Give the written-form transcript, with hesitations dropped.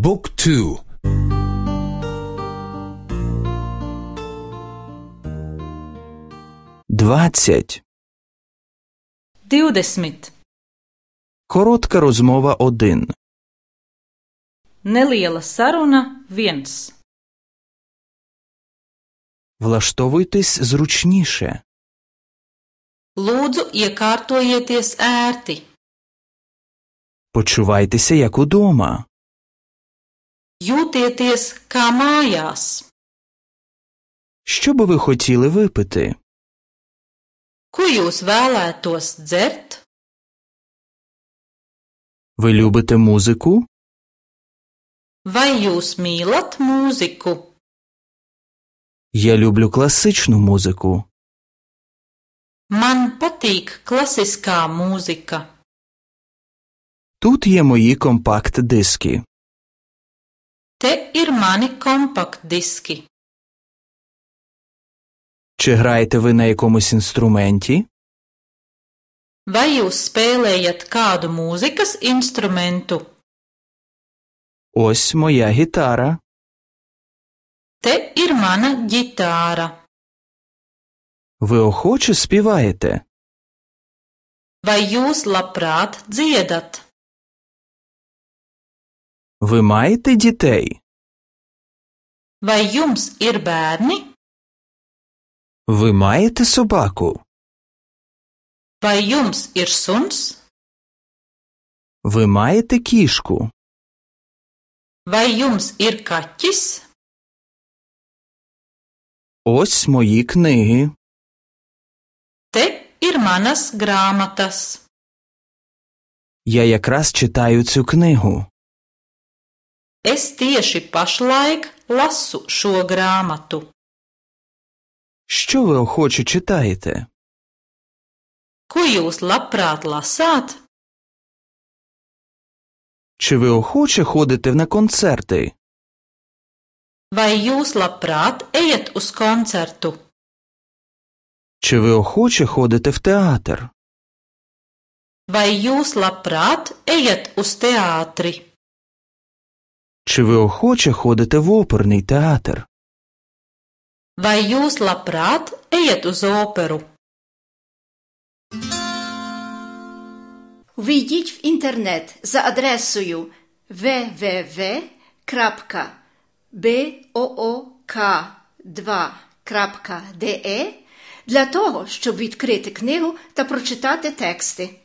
บุ๊กทู20 Коротка розмова 1 Neliela saruna 1. Влаштовуйтесь зручніше. Lūdzu, iekārtojieties ērti. Почувайтеся як удома. Jūtieties kā mājās. Що би ви хотіли випити? Ko jūs vēlētos dzert? Ви любите музику? Vai jūs mīlat mūziku? Я люблю класичну музику. Man patīk klasiskā mūzika. Тут є мої компакт-диски. Te ir mani kompaktdiski. Чи граєте ви на якомусь інструменті? Vai jūs spēlējat kādu mūzikas instrumentu? Ось моя гітара. Te ir mana ģitāra. Ви охоче співаєте? Vai jūs labprāt dziedat? Ви маєте дітей? Vai jums ir bērni? Ви маєте собаку? Vai jums ir suns? Ви маєте кішку? Vai jums ir kaķis? Ось мої книги. Te ir manas grāmatas. Я якраз читаю цю книгу. Es tieši pašlaik lasu šo grāmatu. Що ви охоче читаєте? Ko jūs labprāt lasāt? Чи ви охоче ходите на концерти? Vai jūs labprāt ejat uz koncertu? Чи ви охоче ходите в театр? Vai jūs labprāt ejat uz teātri? Чи ви охоче ходите в оперний театр? Vai jūs labprāt ejat uz operu? Ввійдіть в інтернет за адресою www.book2.de для того, щоб відкрити книгу та прочитати тексти.